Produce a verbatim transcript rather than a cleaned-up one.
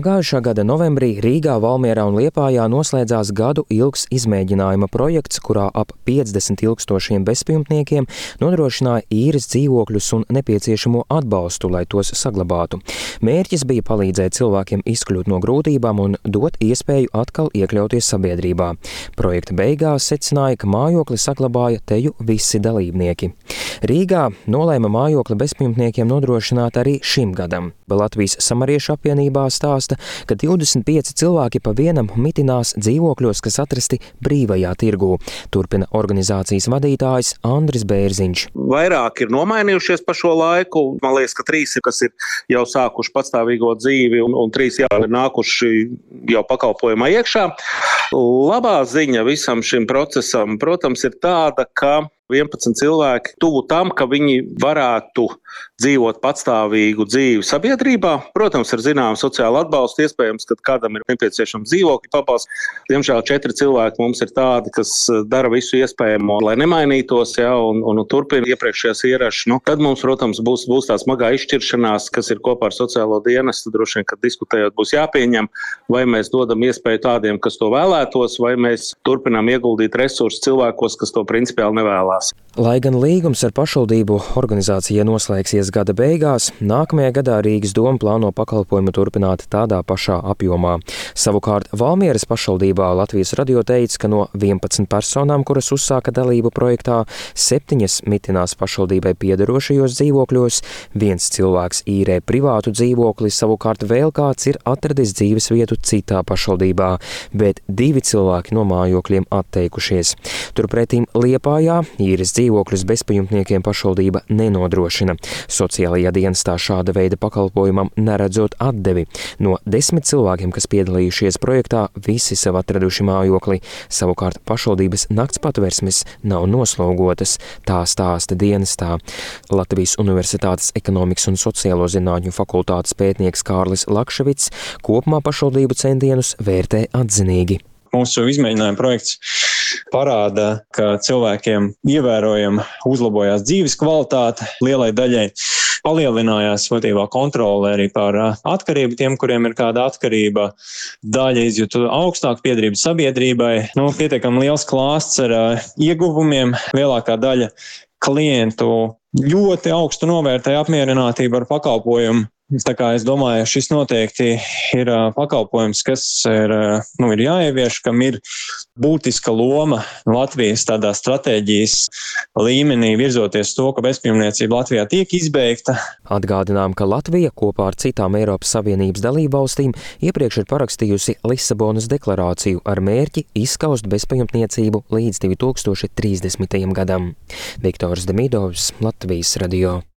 Pagājušā gada novembrī Rīgā, Valmierā un Liepājā noslēdzās gadu ilgs izmēģinājuma projekts, kurā ap piecdesmit ilgstošiem bezpajumtniekiem nodrošināja īres dzīvokļus un nepieciešamo atbalstu, lai tos saglabātu. Mērķis bija palīdzēt cilvēkiem izkļūt no grūtībām un dot iespēju atkal iekļauties sabiedrībā. Projekta beigās secināja, ka mājokli saglabāja teju visi dalībnieki. Rīgā nolēma mājokli bezpajumtniekiem nodrošināt arī šim gadam. Latvijas Samariešu apvienībā stāsta, ka divdesmit pieci cilvēki pa vienam mitinās dzīvokļos, kas atrasti brīvajā tirgū. Turpina organizācijas vadītājs Andris Bērziņš. Vairāk ir nomainījušies pa šo laiku. Man liekas, ka trīs ir, kas ir jau sākuši patstāvīgo dzīvi, un, un trīs jau ir nākuši jau pakalpojumā iekšā. Labā ziņa visam šim procesam, protams, ir tāda, ka vienpadsmit cilvēki tuvu tam, ka viņi varētu dzīvot patstāvīgu dzīvi sabiedrībā. Protams, ar zināmu sociālu atbalstu, iespējams, ka kādam ir nepieciešams dzīvokļu pabalsts. Diemžēl četri cilvēki mums ir tādi, kas dara visu iespējamo, lai nemainītos, ja, un, un turpina iepriekšējās ierašas. Nu, tad mums, protams, būs, būs tā smagā izšķiršanās, kas ir kopā ar sociālo dienestu. Droši vien, kad diskutējot, būs jāpieņem, vai mēs dodam iespēju tādiem, kas to vēlētos, vai mēs turpinām ieguldīt resursus cilvēkos, kas to principiāli nevēlās. Lai gan līgums ar pašvaldību organizācijai noslēgsies gada beigās, nākamajā gadā Rīgas doma plāno pakalpojumu turpināt tādā pašā apjomā. Savukārt Valmieras pašvaldībā Latvijas radio teica, ka no vienpadsmit personām, kuras uzsāka dalību projektā, septiņas mitinās pašvaldībai piederošajos dzīvokļos, viens cilvēks īrē privātu dzīvokli, savukārt vēl kāds ir atradis dzīves vietu citā pašvaldībā, bet divi cilvēki no mājokļiem atteikušies. Turpretīm Liepājā īres dzīvokļus bezpajumtniekiem pašvaldība nenodrošina. Sociālajā dienestā šāda veida pakalpojumam neredzot atdevi. No desmit cilvēkiem, kas piedalījušies projektā, visi sev atraduši mājokli. Savukārt pašvaldības nakts patversmes nav noslogotas, tā stāsta dienestā. Latvijas Universitātes ekonomikas un sociālo zinātņu fakultātes pētnieks Kārlis Lakševits kopumā pašvaldību centienus vērtē atzinīgi. Mūsu izmēģinājuma projekts parāda, ka cilvēkiem ievērojami uzlabojās dzīves kvalitāte, lielai daļai palielinājās būtībā kontrole arī par atkarību tiem, kuriem ir kāda atkarība, daļa izjūtu augstāku piederību sabiedrībai, nu, pietiekami liels klāsts ar ieguvumiem, lielākā daļa klientu ļoti augstu novērtēja apmierinātību ar pakalpojumu. Tā kā es domāju, šis noteikti ir pakalpojums, kas ir, nu, ir jāievieš, kam ir būtiska loma Latvijas tādā stratēģijas līmenī virzoties to, ka bezpajumtniecība Latvijā tiek izbeigta. Atgādinām, ka Latvija kopā ar citām Eiropas Savienības dalībvalstīm iepriekš ir parakstījusi Lisabonas deklarāciju ar mērķi izskaust bezpajumtniecību līdz divi tūkstoši trīsdesmitajam gadam. Viktors Demidovs, Latvijas radio.